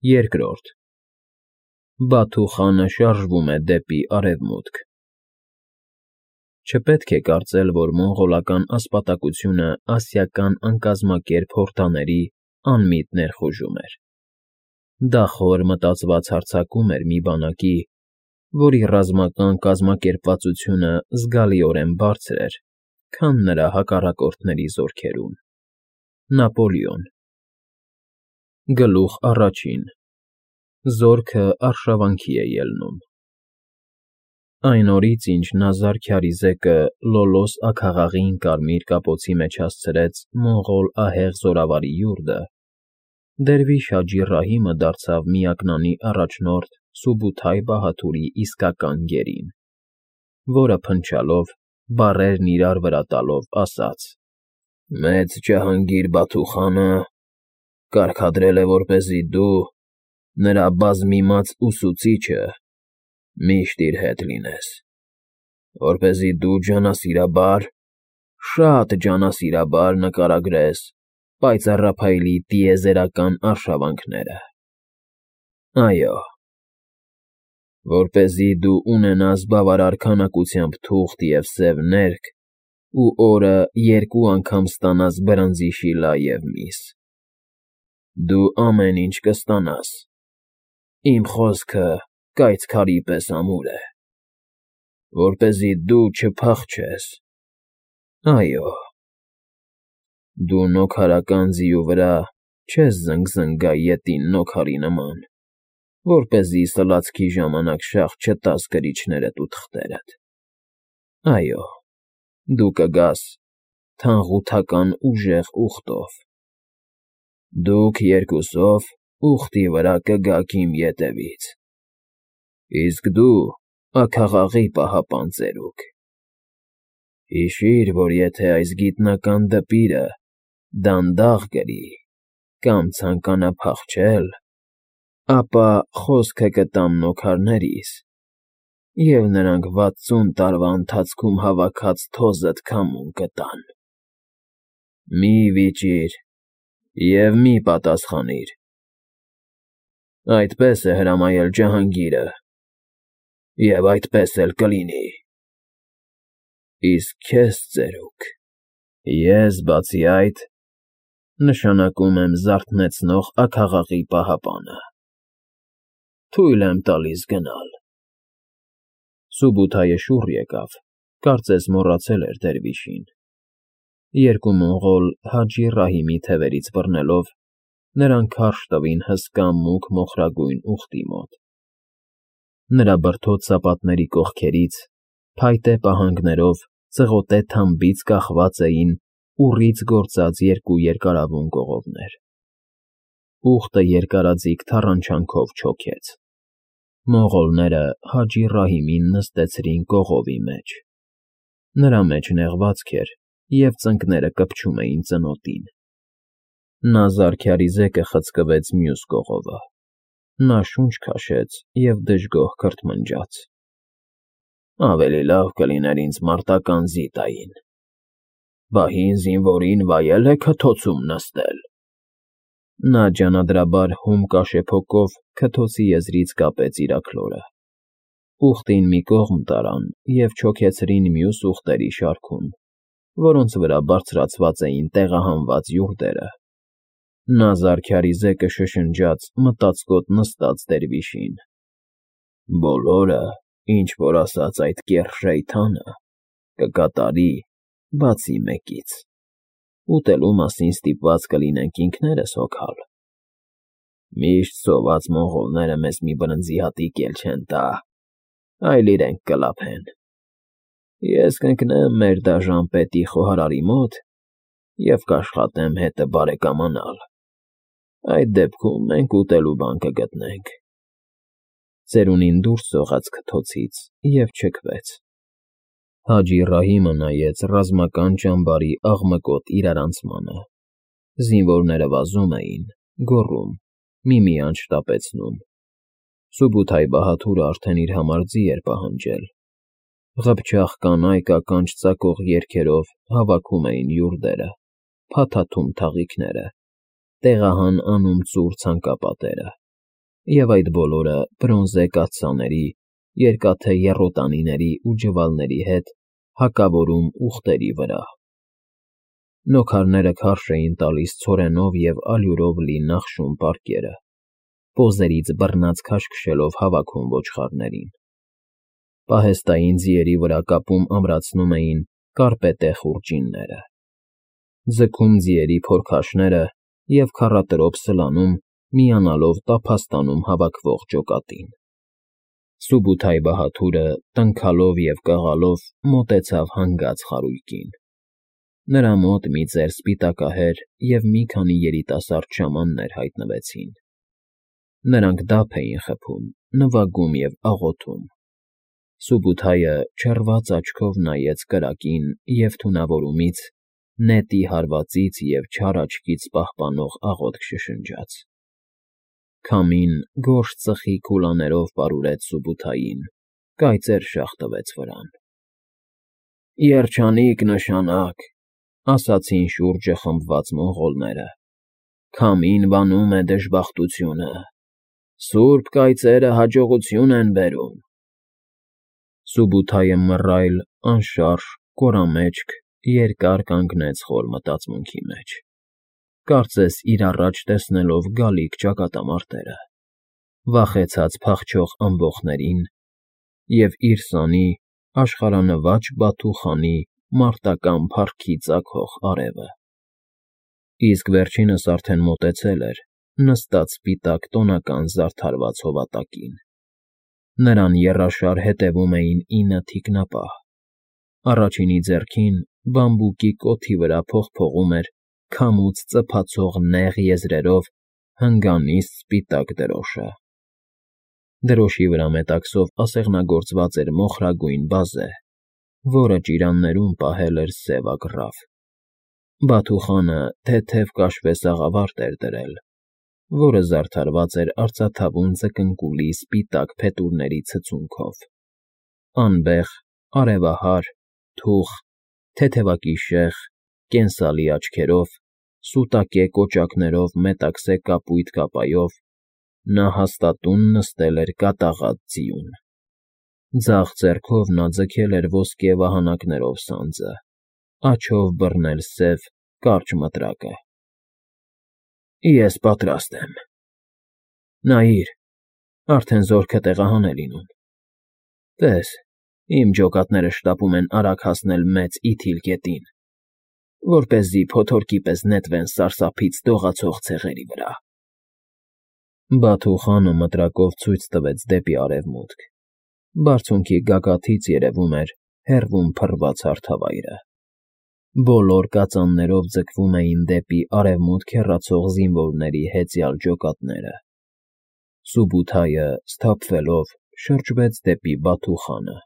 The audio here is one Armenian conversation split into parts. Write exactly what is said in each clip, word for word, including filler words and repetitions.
Երկրորդ Բաթու խանը շարժվում է դեպի արևմուտք։ Չպետք է կարծել, որ մոնղոլական ասպատակությունը ասիական անկազմակերպ հորդաների անմիտ ներխուժում էր։ Դա խոր մտածված հարձակում էր մի բանակի, որի ռազմական կազմակերպվածությունը զգալիորեն բարձր էր, քան նրա հակառակորդների զորքերում։ Նապոլեոն Գլուխ առաջին Զորքը արշավանքի է ելնում։ Այն օրից, ինչ Նազար Քյարիզեկը Լոլոս աքաղաղին կարմիր կապոցի մեջ հասցրեց մոնղոլ ահեղ զորավարի յուրդը, Դերվիշ Հաջի Ռահիմը դարձավ միակնանի առաջնորդ Սուբութայ Բահաթուրի իսկական գերին, որը փնչալով, բառերն իրար վրա տալով, ասաց. «Մեծ Ջահանգիր Բաթու խանը կարգադրել է, որպեսզի դու, նրա բազմիմաց ուսուցիչը, միշտ իր հետ լինես, որպեսզի դու ջանասիրաբար, շատ ջանասիրաբար նկարագրես պայծառափայլի տիեզերական արշավանքները։ Այո, որպեսզի դու ունենաս բավարար քանակությամբ թուղթ և սև ներք ու օրը երկու անգամ ստանաս բրնձի շիլա և միս։ Դու ամեն ինչ կստանաս, իմ խոսքը կայծ քարի պես ամուր է, որպեսզի դու չփախչես, այո, դու նոքարական ձիու վրա չես զնգզնգա ետին նոքարի նման, որպեսզի սլացքի ժամանակ շաղ չտաս կրիչներդ ու թղթերդ, այո, դու կգաս թանղութական ուժեղ ուղտով, դուք երկուսով ուղտի վրա կգաք իմ ետևից, իսկ դու աքաղաղի պահապան ծերուկ, հիշիր, որ եթե այս գիտնական դպիրը դանդաղ կրի կամ ցանկանա փախչել, ապա խոսքը կտամ նոքարներիս, և նրանք վաթսուն տարվա ընթացքում հավաքած թոզդ քամուն կտան։ Մի՛ վիճիր և մի՛ պատասխանիր։ Այդպես է հրամայել Ջահանգիրը, և այդպես էլ կլինի։ Իսկ քեզ, ծերուկ, ես, բացի այդ, նշանակում եմ զարթնեցնող աքաղաղի պահապանը, թույլ եմ տալիս գնալ։ Սուբութայը շուռ եկավ, կարծես մոռացել էր դերվիշին։ Երկու մոնղոլ Հաջի Ռահիմի թևերից բռնելով, նրան քարշ տվին հսկա մուգ մոխրագույն ուղտի մոտ։ Նրա բրդոտ սապատների կողքերից, փայտե պահանգներով, ծղոտե թամբից կախված էին ուռից գործած երկու երկարավուն կողովներ։ Ուղտը երկարաձիգ թառանչանքով չոքեց։ Մոնղոլները Հաջի Ռահիմին նստեցրին կողովի մեջ։ Նրա մեջ նեղվածք էր, և ծնկները կպչում էին ծնոտին։ Նազար Քյարիզեկը խցկվեց մյուս կողովը։ Նա շունչ քաշեց և դժգոհ քրթմնջաց. «Ավելի լավ կլիներ ինձ մարտական ձի տային։ Բա հին զինվորին վայել է քթոցում նստել»։ Նա ջանադրաբար հում կաշեփոկով քթոցի եզրից կապեց իր աքլորը։ Ուղտին մի կողմ տարան և չոքեցրին մյուս ուղտերի շարքում, որոնց վրա բարձրացված էին տեղահանված յուրդերը։ Նազար Քյարիզեկը շշնջաց մտածկոտ նստած դերվիշին. «Բոլորը, ինչ որ ասաց այդ կեռ շեյթանը, կկատարի, բացի մեկից. ուտելու մասին ստիպված կլինենք ինքներս հոգալ։ Միշտ սոված մոնղոլները մեզ մի բրնձի հատիկ էլ չեն տա, այլ իրենք կլափեն։ Ես կընկնեմ մեր դաժան պետի խոհարարի մոտ և կաշխատեմ հետը բարեկամանալ։ Այդ դեպքում մենք ուտելու բան կգտնենք»։ Ծերունին դուրս սողաց քթոցից և չքվեց։ Հաջի Ռահիմը նայեց ռազմական ճամբարի աղմկոտ իրարանցմանը։ Զինվորները վազում էին, գոռում, միմիանց շտապեցնում։ Սուբութայ Բահաթուրը արդեն իր համար ձի էր պահանջել։ Ղփչաղ կանայք ականջ ծակող երգերով հավաքում էին յուրդերը, փաթաթում թաղիքները, տեղահան անում ծուռ ցանկապատերը։ և այդ բոլորը բրոնզե կաթսաների, երկաթե եռոտանիների ու ջվալների հետ հակավորում ուղտերի վրա։ Նոքարները քարշ էին տալիս ցորենով և ալյուրով լի նախշում պարկերը, պոզերից բռնած քաշքշելով հավաքում ոչխարներին։ Պահեստային ձիերի վրա կապում ամրացնում էին կարպետե խուրջինները, ձգում ձիերի փորքաշները և քառատրոփ սլանում, միանալով տափաստանում հավաքվող ջոկատին։ Սուբութայ բահադուրը, տնքալով և կաղալով, մոտեցավ հանգած խարույկին։ Նրա մոտ մի ծեր սպիտակահեր և մի քանի երիտասարդ շամաններ հայտնվեցին։ Նրանք դափ էին խփում, նվագում և աղոթում։ Սուբութայը չռված աչքով նայեց կրակին և թունավորումից, նետի հարվածից և չար աչքից պահպանող աղոթք շշնջաց։ Քամին գորշ ծխի քուլաներով պարուրեց Սուբութային, կայծեր շաղ տվեց վրան։ Երջանիկ նշանակ, ասացին շուրջը խմբված մոնղոլները, քամին վանում է դժբախտությունը, սուրբ կայծերը հաջողություն են բերում։ Սուբութայը մռայլ, անշարժ, կորամեջք, երկար կանգնեց խոր մտածմունքի մեջ, կարծես իր առաջ տեսնելով գալիք ճակատամարտերը, վախեցած փախչող ամբոխներին և իր սանի, աշխարհանվաճ Բաթու խանի մարտական փառքի ծագող արևը։ Իսկ վերջինս արդեն մոտեցել էր, նստած սպիտակ տոնական զարդարված հովատակին։ Նրան եռաշար հետևում էին ինը թիկնապահ։ Առաջինի ձեռքին, բամբուկի կոթի վրա փողփողում էր քամուց ծփացող նեղ եզրերով հնգանիստ սպիտակ դրոշը։ Դրոշի վրա մետաքսով ասեղնագործված էր մոխրագույն բազե, որը ճիրաններում պահել էր սև ագռավ։ Բաթու խանը թեթև կաշվե սաղավարտ էր դրել, որը զարդարված էր արծաթավուն ձկնկուլի սպիտակ փետուրների ցցունքով, անբեղ, արևահար, թուխ, թեթևակիշեղ, կենսալի աչքերով, սուտակե կոճակներով մետաքսե կապույտ կապայով, նա հաստատուն նստել էր կատաղած ձիուն։ Ձախ ձեռքով նա ձգել էր ոսկե վահանակներով սանձը, աջով բռնել սև, կարճ մտրակը։ Ես պատրաստ եմ։ Նայիր, արդեն զորքը տեղահան է լինում։ Տես, իմ ջոկատները շտապում են արագ հասնել Մեծ Իթիլ գետին, որպեսզի փոթորկի պես նետվեն սարսափից դողացող ցեղերի վրա։ Բաթու խանը մտրակով ցույց տվեց դեպի արևմուտք։ Բարձունքի գագաթից երևում էր հեռվում փռված հարթավայրը։ Բոլոր կածաններով ձգվում էին դեպի արևմուտք հեռացող զինվորների հեծյալ ջոկատները։ Սուբութայը, սթափվելով, շրջվեց դեպի Բաթու խանը։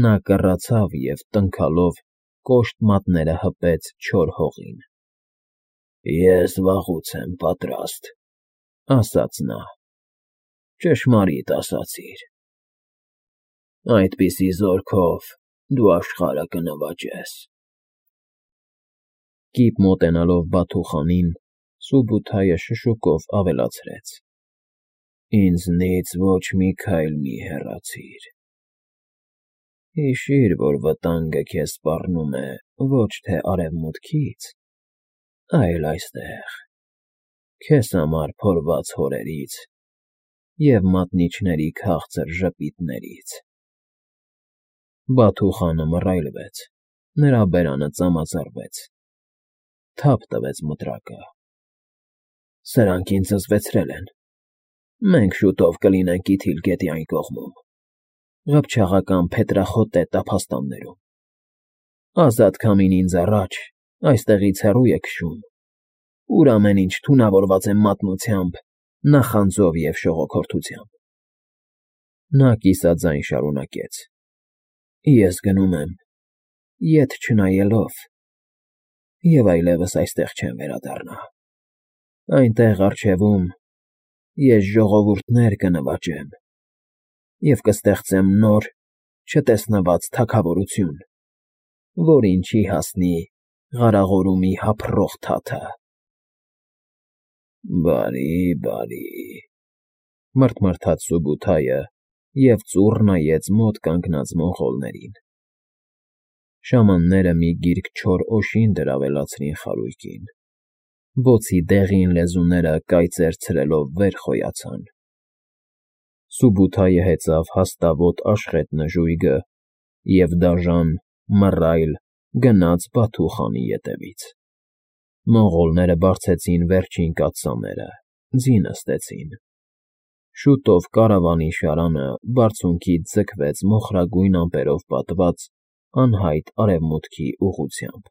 Նա կռացավ և, տնքալով, կոշտ մատները հպեց չոր հողին։ Ես վաղուց եմ պատրաստ, ասաց նա։ Ճշմարիտ ասացիր։ Այդպիսի զորքով դու աշխարհը կնվաճես։ Կիպ մոտենալով Բաթու խանին, Սուբութայը շշուկով ավելացրեց. Ինձնից ոչ մի քայլ մի հեռացիր։ Հիշիր, որ վտանգը քեզ սպառնում է ոչ թե արևմուտքից, այլ այստեղ, քեզ համար փորված հորերից և մատնիչների քաղցր ժպիտներից։ Բաթու խանը մռայլվեց, նրա բերանը ծամազարվեց, թափ տվեց մտրակը։ Սրանք ինձ զզվեցրել են։ Մենք շուտով կլինենք Իթիլ գետի այն կողմում, ղփչաղական փետրախոտե տափաստաններում։ Ազատ քամին ինձ առաջ, այստեղից հեռու է քշում, ուր ամեն ինչ թունավորված է մատնությամբ, նախանձով և շողոքորթությամբ։ Նա կիսաձայն շարունակեց. Ես գնում եմ, ետ չնայելով, և այլևս այստեղ չեմ վերադառնա։ Այնտեղ առջևում ես ժողովուրդներ կնվաճեմ և կստեղծեմ նոր, չտեսնված թագավորություն, որին չի հասնի Ղարաղորումի հափռող թաթը։ Բարի, բարի, մռթմռթաց Սուբութայը և ծուռ նայեց մոտ կանգնած մոնղոլներին։ Շամանները մի գիրք չոր օժին դրավելացրին խարույկին, բոցի դեղին լեզուները կայծեր ցրելով վեր խոյացան։ Սուբութայը հեծավ հաստավոտ աշխետ նժույգը և դաժան, մռայլ գնաց Բաթու խանի ետևից։ Մոնղոլները բարձեցին վերջին կաթսաները, ձի նստեցին։ Շուտով կարավանի շարանը բարձունքից ձգվեց մոխրագույն ամպերով պատված անհայտ արևմուտքի ուղղությամբ։